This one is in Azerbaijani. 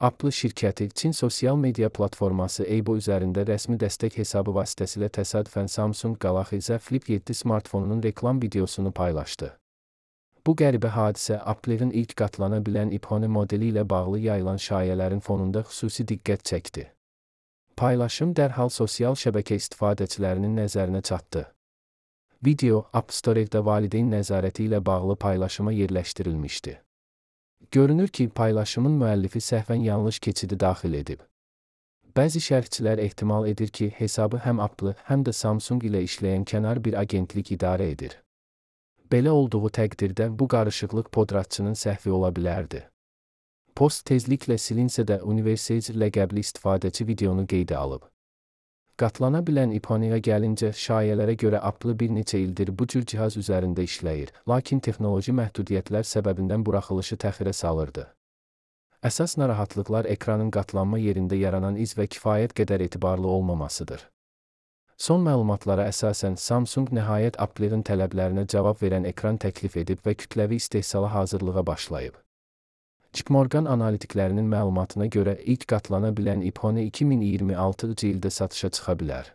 Apple şirkəti Çin sosial media platforması Weibo üzərində rəsmi dəstək hesabı vasitəsilə təsadüfən Samsung Galaxy Z Flip 7 smartfonunun reklam videosunu paylaşdı. Bu qəribə hadisə Apple'ın ilk qatlana bilən iPhone modeli ilə bağlı yayılan şayələrin fonunda xüsusi diqqət çəkdi. Paylaşım dərhal sosial şəbəkə istifadəçilərinin nəzərinə çatdı. Video App Store'da valideyn nəzarəti ilə bağlı paylaşıma yerləşdirilmişdi. Görünür ki, paylaşımın müəllifi səhvən yanlış keçidi daxil edib. Bəzi şərhçilər ehtimal edir ki, hesabı həm Apple, həm də Samsung ilə işləyən kənar bir agentlik idarə edir. Belə olduğu təqdirdə bu qarışıqlıq podratçının səhvi ola bilərdi. Post tezliklə silinsə də Universal ləqəbli istifadəçi videonu qeydə alıb. Qatlana bilən iPhone-ya gəlincə, şayələrə görə Apple bir neçə ildir bu cür cihaz üzərində işləyir, lakin texnoloji məhdudiyyətlər səbəbindən buraxılışı təxirə salırdı. Əsas narahatlıqlar ekranın qatlanma yerində yaranan iz və kifayət qədər etibarlı olmamasıdır. Son məlumatlara əsasən Samsung nəhayət Apple'ın tələblərinə cavab verən ekran təklif edib və kütləvi istehsala hazırlığa başlayıb. JPMorgan analitiklərinin məlumatına görə ilk qatlana bilən iPhone 2026-cı ildə satışa çıxa bilər.